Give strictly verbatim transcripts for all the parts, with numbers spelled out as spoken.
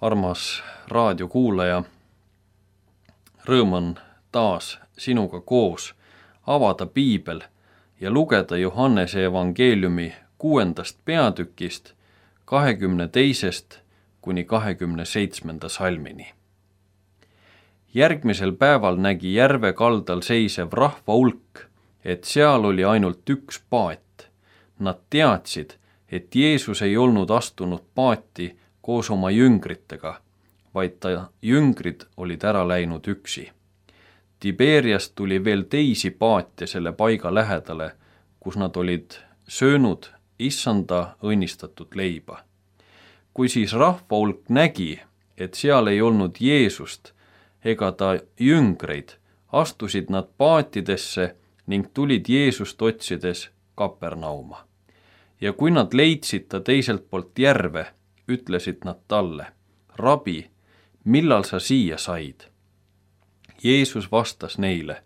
Armas raadiokuulaja, rõõm on taas sinuga koos avada piibel ja lugeda Johannese evangeeliumi kuuendast peatükist kahekümne teisest kuni kahekümne seitsmenda salmini. Järgmisel päeval nägi järve kaldal seisev rahva hulk, et seal oli ainult üks paat. Nad teadsid, et Jeesus ei olnud astunud paati koos oma jüngritega, vaid ta jüngrid olid ära läinud üksi. Tiberiast tuli veel teisi paate selle paiga lähedale, kus nad olid söönud issanda õnnistatud leiba. Kui siis rahva hulk nägi, et seal ei olnud Jeesust ega ta jüngreid, astusid nad paatidesse ning tulid Jeesust otsides Kapernauma. Ja kui nad leidsid ta teiselt poolt järve, ütlesid nad talle, Rabi, millal sa siia said? Jeesus vastas neile,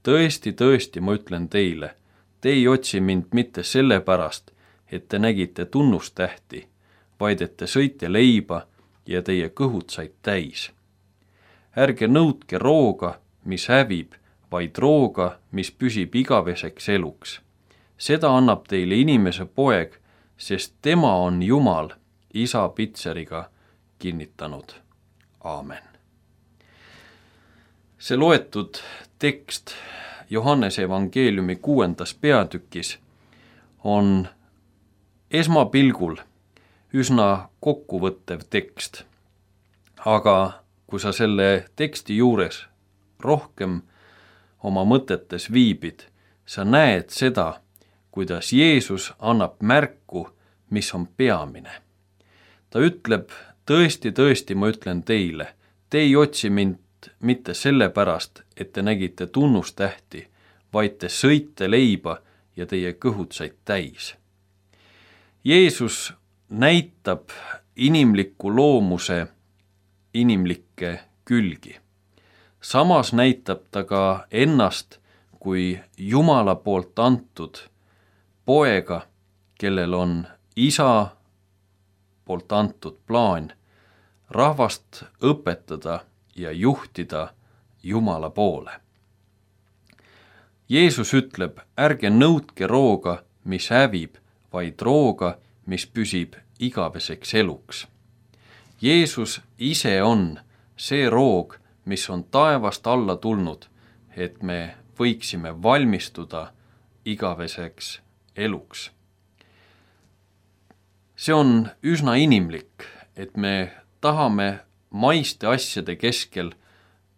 tõesti, tõesti, ma ütlen teile, te ei otsi mind mitte sellepärast, et te nägite tunnustähti, vaid et te sõite leiba ja teie kõhud said täis. Ärge nõudke rooga, mis hävib, vaid rooga, mis püsib igaveseks eluks. Seda annab teile inimese poeg, sest tema on Jumal, isa pitseriga kinnitanud. Aamen. See loetud tekst Johannese evangeeliumi kuuendas peatükis on esmapilgul üsna kokkuvõttev tekst. Aga kui sa selle teksti juures rohkem oma mõtetes viibid, sa näed seda, kuidas Jeesus annab märku, mis on peamine. Ta ütleb, tõesti, tõesti, ma ütlen teile, te ei otsi mind mitte sellepärast, et te nägite tunnustähti, vaid te sõite leiba ja teie kõhud said täis. Jeesus näitab inimliku loomuse inimlikke külgi. Samas näitab ta ka ennast kui Jumala poolt antud poega, kellel on isa poolt antud plaan rahvast õpetada ja juhtida Jumala poole. Jeesus ütleb, ärge nõudke rooga, mis hävib, vaid rooga, mis püsib igaveseks eluks. Jeesus ise on see roog, mis on taevast alla tulnud, et me võiksime valmistuda igaveseks eluks. See on üsna inimlik, et me tahame maiste asjade keskel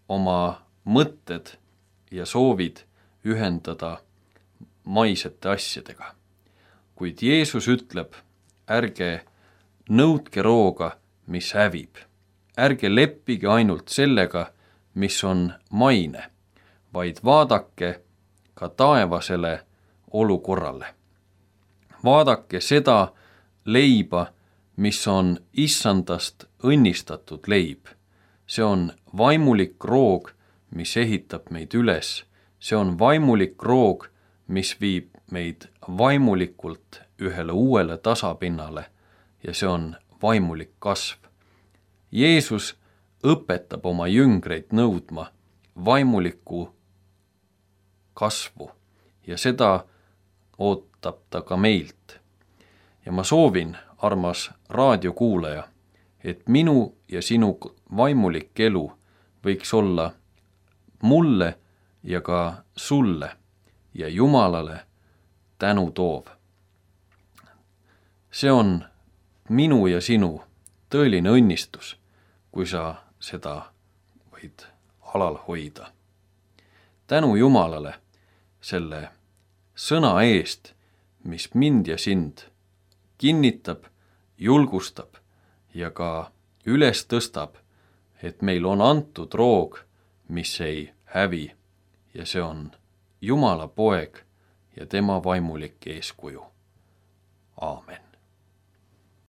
oma mõtted ja soovid ühendada maisete asjadega. Kuid Jeesus ütleb, ärge nõudke rooga, mis hävib. Ärge leppige ainult sellega, mis on maine, vaid vaadake ka taevasele olukorrale. Vaadake seda leiba, mis on issandast õnnistatud leib. See on vaimulik roog, mis ehitab meid üles. See on vaimulik roog, mis viib meid vaimulikult ühele uuele tasapinnale ja see on vaimulik kasv. Jeesus õpetab oma jüngreid nõudma vaimulikku kasvu ja seda ootab ta ka meilt. Ja ma soovin, armas raadiokuulaja, et minu ja sinu vaimulik elu võiks olla mulle ja ka sulle ja Jumalale tänu toov. See on minu ja sinu tõeline õnnistus, kui sa seda võid alal hoida. Tänu Jumalale selle sõna eest, mis mind ja sind kinnitab, julgustab ja ka üles tõstab, et meil on antud roog, mis ei hävi ja see on Jumala poeg ja tema vaimulik eeskuju. Aamen.